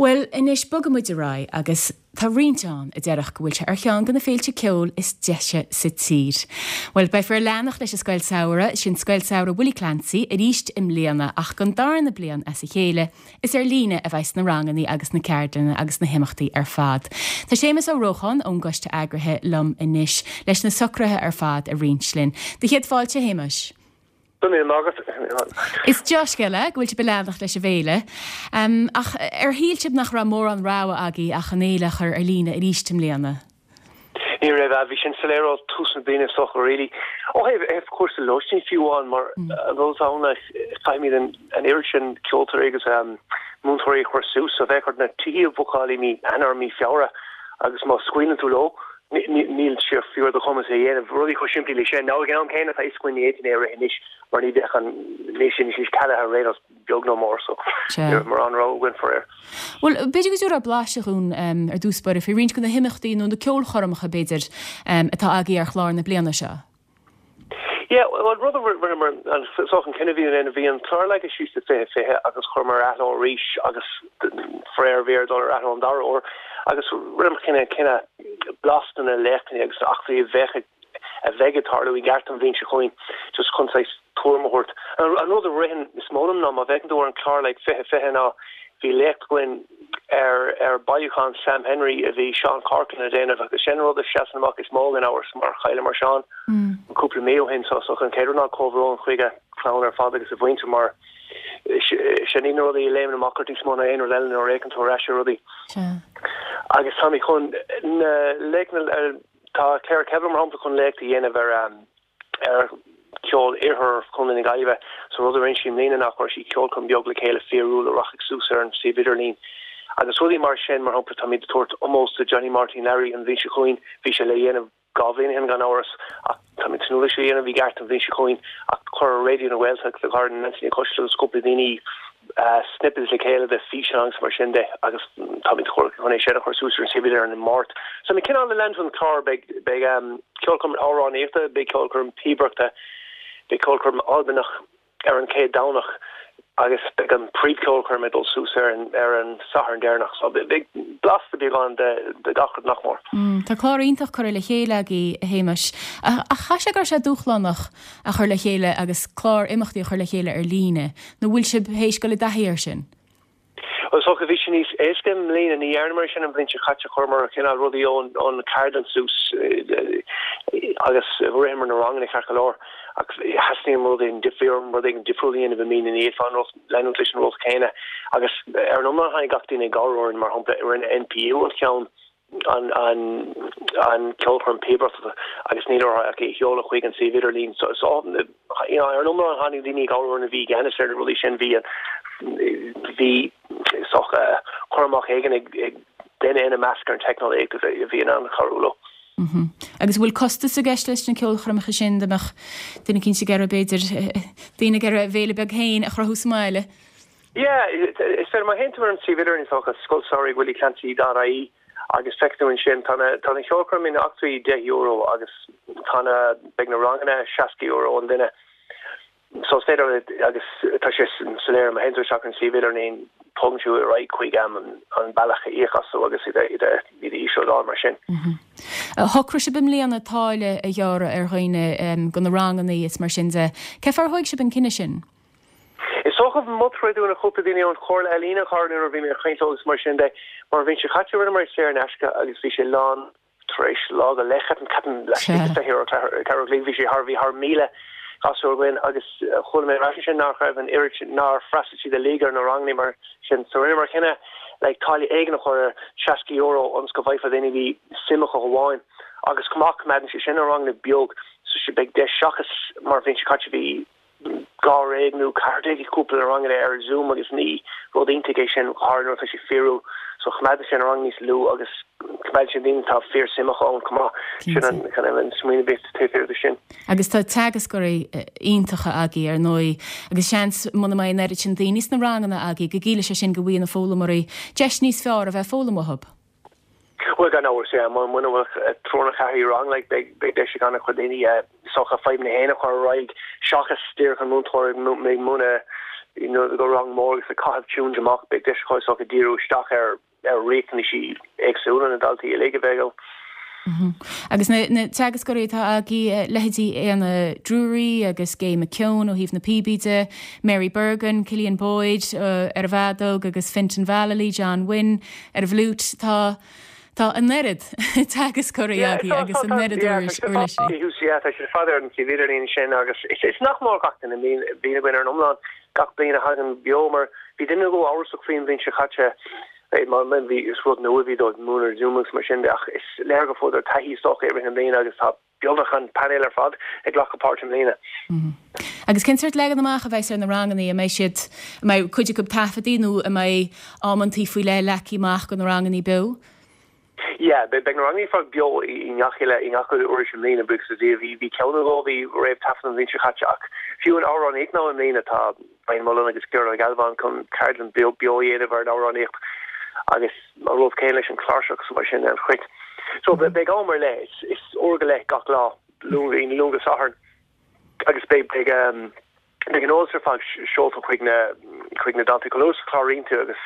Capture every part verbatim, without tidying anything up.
Bhuel, anois bogfaimid ar aghaidh agus tá roinnt ann a déarfadh go bhfuil sé ar cheann de na féilte ceoil is deise sa tír. Bhuel, beifear ag leanacht leis an Scoil Samhraidh, sin Scoil Samhraidh Willie Clancy, arís i mbliana ach don darna bliain as a chéile, is ar líne a bheas na ranganna agus na ceardlanna agus na himeachtaí ar fad. Tá Séamus Ó Rócháin ón gcoiste eagraithe liom anois leis na socruithe ar fad a roinnt linn. Do chéad fáilte Shéamuis. Is dea-scéal é go bhfuil sibh ag leanacht leis an bhféile. Um, ach ar shíl sibh nach raibh mórán rogha agaibh ach an fhéile a chur ar líne arís i mbliana. Ní raibh bhí sin soiléir ó tús na bliana so really. Ó thaobh cúrsaí lóistín fiú amháin mar rud ann caithfimid an an oiread sin ceoltóirí agus um, múinteoirí a chur suas so bheadh ort na tithe a bhookáil i mí Eanáir mí Feabhra agus má scaoileann tú leo níl sé fiú ar do chumas é dhéanamh rudaí chomh simplí leis sin. Ná ag an am céanna tá iscuin ní é anois mar ní bheadh an ní sin is cealaithe réos beag nó mór so mar an rá gin for. Well b'fhéidir go dtabharfá blaiseadh dúinn um, ar dtús báire faoi roinnt de na himeachtaí nó na ceolchoirmeacha b'fhéidir um, atá agaibh ar chlár na bliana seo. Yeah, well rud rinneamar an so an cinneadh bhí an bhí an clár leagtha síos do fiche fiche agus chuireamar athló arís agus fréir bhí dul ar athló an dara huair agus rinneamar cinneadh cinneadh blas de na léachtanna agus eachtraí a bheadh a bheidh ag tarlú i gceart an bhliain seo chugainn just chun tuairim a thabhairt. An rud a ritheann is mó liom ná má bheith tú ar an clár like fiche fiche ná bhí léacht againn ar ar bailiúchán Sam Henry a bhí Seán Corcoran a dhéanamh agus sin rud a sheasann amach is mó gan amhras mar chailleamar Seán mm. cúpla mí ó shin so so an chéad ná comhbhrón chuig a chlann ar fad agus a mhuintir mar sin na rudaí a léimeann amach ort níos mó ná aon rud eile nuair a fheiceann tú ar ais rudaí. Agus tá chun na léachtanna tá Claire Kevin mar shampla chun léacht a dhéanamh ar um, ar ceol iarthar Chontae na Gaillimhe so rud a rinne sí i mbliana ná chuir sí ceolchoirm beag le chéile fíorúil a rachaidh suas ar an suíomh idirlín. Agus rudaí mar sin mar shampla táimid ag tabhairt ómós do Johnny Martin Larry an bhliain seo chugainn bhí sé le dhéanamh dhá bhliain ó shin gan amhras ach táimid tnúth leis dhéanamh i gceart an bhliain seo chugainn ach chuir Raidió na Gaeltachta le gar Nancy Cois cúpla daoine uh, snippets le chéile de físeáin agus mar sin de agus táimid chun é sin a chur suas ar an suíomh ar an Máirt. So mé cineál le an clár beidh beidh um, ceolchoirm amhránaíochta, beidh ceolchoirm píobaireachta, beidh ceolchoirm Albanach ar an chéad Domhnach agus beidh an príomhcheolchoirm ag dul suas ar an ar an Satharn deireanach so beidh blasta beagán de de gach rud nach mór. Mm, tá clár iontach curtha le chéile agaibh a Shéamais ach cha sé gur sé dúshlánach a chur le chéile agus clár imeachtaí a chur le chéile ar líne, nó bhfuil sibh théis dul i dtaithí air sin. Well so bhí sin níos éasca i mbliana ní dhearnamar sin an bhliain seo caite chuireamar cineál rudaí ón ón ceardlann suas agus rinneamar na ranganna ceart go leor ach theastaigh rud éigin difriúil rud éigin difriúil a dhéanamh i mbliana ní fhéadfá leanúint leis an rud céanna agus ar an iomlán tháinig gach duine i gcabhair mar shampla rinne NPU an ceann an an an ceolchoirm píobaireachta agus níl orthu ach é a sheoladh chuig an suíomh idirlín so so you know, ar an iomlán tháinig daoine i gcabhair a bhí ceannas ar na rudaí sin bhí bhí soch cur amach éigin ag ag duine ina measc ar an teicneolaíocht a bhí in ann cabhrú leo. Mm -hmm. Agus bhfuil costas i gceist leis na ceolchoirmeacha sin dá mbeadh duine eicínt ag iarraidh b'fhéidir daoine ag iarraidh féile beag féin a chruthú sa mbaile. Yeah, is féidir má théann tú ar an suíomh idirlín socha scoilsamhraidh willieclancy.ie agus feicfidh tú ansin tá na tá na ceolchoirm na eachtraí deich euro agus tá na beidh na ranganna seasca euro an duine. So is féidir agus tá sé soiléir má théann tú isteach an suíomh idirlín tugann tú ar aghaidh chuig am an bealach a íoc astu agus iad iad iad íoslódáil mar sin. Mm -hmm. Shocraigh sibh i mbliana táille a ghearradh ar dhaoine do na ranganna is mar sin de. Cé fáth ar thóg sibh an cinneadh sin? Is dócha mothaigh na cúpla daoine ón Chomhairle Ealaíon char nuair a bhí mé ag caint agus mar sin de mar bhí sé chaite rinneamar saor in aisce agus bhí sé lán tar éis lá go leith ceapaim ceapaim ceathrú bhí sé thar bhí thar míle gasúr againn agus chuala mé ar sin nach raibh an oiread nár fhreastail siad uilig ar na ranganna mar sin so rinneamar cinneadh le táille éigin a chur ar seasca euro ionas go bhfaighfeadh daoine bhí suim acu amháin agus chomh maith coimeádann sé sin na ranganna beag so sé beidh deis seachas mar bhí sé caite bhí dháréag nó ceathrar déag i cúpla ranganna ar Zoom agus ní rud iontach é sin thar nuair tá sé fíorúil so choimeádann sé na rang níos lú agus coimeádann sé daoine tá fíor suim acu ann chomh maith sin an kind of an smaoineamh taobh thiar de sin. Agus tá teagascóirí iontacha agaibh ar ndóigh agus seans muna mbeidh an oiread sin daoine sna ranganna agaibh go gciallaíonn sé sin go bhfuil na foghlaimeoirí deis níos fearr a bheith foghlaim uathub. Well gan amhras é muna bhfuil triúr nó ceathrar i rang like beidh beidh deis ag an-chuid daoine socha fadhbanna féin a chur ar aghaidh seachas díreach an múinteoir ag múineadh you know go rang mór agus ag caitheamh tunes amach beidh deis acu is dócha díriú isteach ar ar riachtanaisí éagsúla na ndaltaí uilig a bheidh ann. Agus na, na teagascóirí atá agaibh leithéidí Éanna Drury agus Gay McKeown ó thaobh na píobaí de, Mary Bergin, Killian Boyd uh, ar an bhfeadóg agus Fintan Vallely, John Wynne ar an bhfliúit tá Tá an oiread teagascóirí agaibh agus an oiread uirlisí. Tá sé fada ar an suíomh idirlín sin agus is nach mór gach duine bhíonn againn ar an iomlán gach bliain a thagann beo mar bhí duine go amhrasach faoin bhliain seo caite mar bhí is rud nua bhí dóibh múineadh Zoom agus mar sin de ach is léir go bhfuair taithí is dócha i rith na bliana agus tá beagnach an painéal ar fad ag glacadh páirt i mbliana. Agus cén sórt leagan amach a bheas ar na ranganna an mbeidh siad an mbeidh cuid acu taifeadtaí nó an mbeidh amantaí faoi leith leagtha amach do na ranganna beo? Yeah, beidh na ranganna ar fad beo i ngach uile i ngach uile uair i mbliana buíochas le Dia bhí bhí ceann nó dhó bhí réamh-taifeadta an bhliain seo caite ach fiú an amhránaíocht ná i mbliana tá Brian Mullen agus Gearóid Ó Gealbháin chun ceardlann beo beo a dhéanamh ar an amhránaíocht agus an rud céanna leis an chláirseach so mar sin an chruit. So beidh am ar leith is uair go leith gach lá Luan Luan go Satharn agus beidh beidh um, beidh an eolas ar fad seolta chuig na chuig na daltaí chomh luath is a chláraíonn tú agus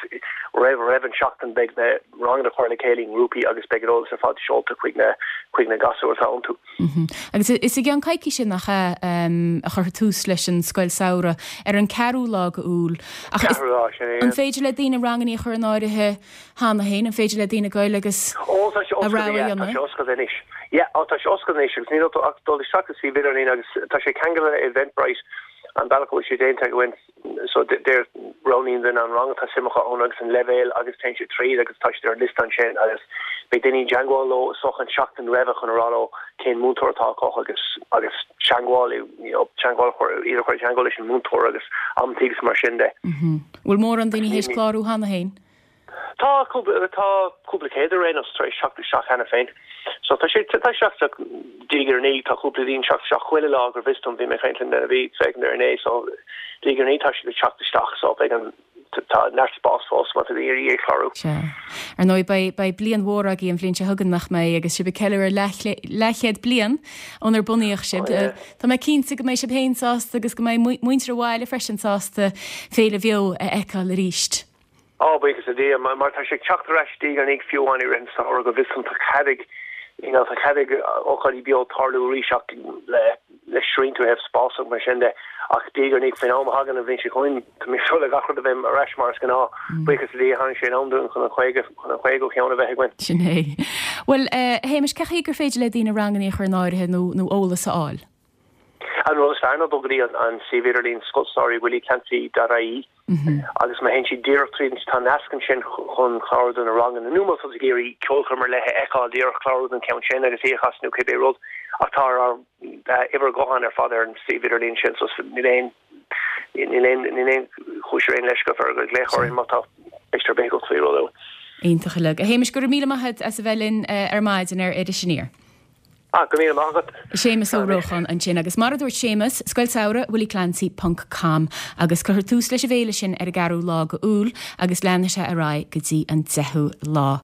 roimh roimh an seachtain beidh na ranganna curtha le chéile i ngrúpaí agus beidh an eolas ar fad seolta chuig na chuig na gasúir atá iontu. Mm -hmm. Agus is i gceann coicíse nach ea um, a chuirfear tús leis an scoil samhraidh ar an ceathrú lá d'Iúil. An féidir le daoine ranganna a chur in áirithe cheana féin, an féidir le daoine goil agus a rogha dhéanamh? Yeah, ó tá sé oscailte anois agus níl ach dul isteach sa suíomh idirlín agus tá sé ceangailte le Eventbrite an bealach a bhfuil sé déanta againn so deir roghnaíonn duine an rang atá suim acu ann agus an leibhéal agus téann siad tríd agus tá siad ar an liosta ansin agus beidh daoine i dteagmháil leo so an seachtain roimhe chun a rá leo cén múinteoir atá acu agus agus teagmháil you know teagmháil chur iad a chur i dteagmháil leis an múinteoir agus amantaí agus mar sin de. Bhfuil mórán daoine théis clárú cheana féin? Tá tá cúpla céad ar aon nós tar éis teacht isteach cheana féin. So tá sé tá seach diaidh ar ndiaidh tá cúpla duine ag teacht isteach chuile lá go bhfios dom bhí mé ag caint le duine a bhí ag féachaint ar inné so diaidh ar ndiaidh tá siad ag teacht isteach so beidh an tá neart spás fós má tá daoine ag iarraidh clárú. Sea. Ar ndóigh beidh beidh bliain mhór agaibh an bhliain seo chugainn nach mbeidh agus sibh ag ceiliúradh leathchéad bliain ónar bunaíodh sibh. Oh, yeah. Tá mé cinnte go mbeidh sibh féin sásta agus go mbeidh muintir an bhaile freisin sásta féile bheo a fheiceáil arís. Á buíochas le Dia mar tá sé ag teacht ar ais diaidh ar ndiaidh fiú amháin i rith an samhradh go bhfios dom tá cead ag you know, tá cead ag ócáidí beo tarlú arís ach le le srianta ó thaobh spás agus mar sin de ach diaidh ar ndiaidh faoin am a thagann an bhliain seo chugainn tá mé ag súil le gach rud a bheith ar ais mar is gnáth. Buíochas le Dia tháinig sé in am dúinn chun an chaoga chun an chaoga cheann a bheith againn. Sin é. Bhuel eh, Shéamais, cé chaoi gur féidir le daoine ranganna a chur in áirithe nó nó eolas a fháil? An rud is fearr ná dul go dtí an an suíomh idirlín scoilsamhraidh willieclancy dot ie agus má théann siad díreach tríd tá nasc ansin chun clárú do na ranganna nó má tá tú ag iarraidh ceolchoirm ar leith a fheiceáil díreach clárú don ceann sin agus í a chasadh nó cibé rud ach tá ár uimhir ghutháin ar fad ar an suíomh idirlín sin so níl aon níl aon níl aon chúis ar aon leisce ar go glaoch orainn má tá ceist ar bith agat faoi rud. Iontach uilig. A Shéamais, go raibh míle maith agat as a bheith linn ar maidin ar Iris Aniar. Ah, go míle maith agat. Séamus Ó Rócháin ansin agus mar a dúirt Séamus, Scoil Samhraidh willieclancy ponc com agus cuirfear tús leis an bhféile sin ar an gceathrú lá d'Iúil agus leanfaidh sé ar aghaidh go dtí an deichiú lá.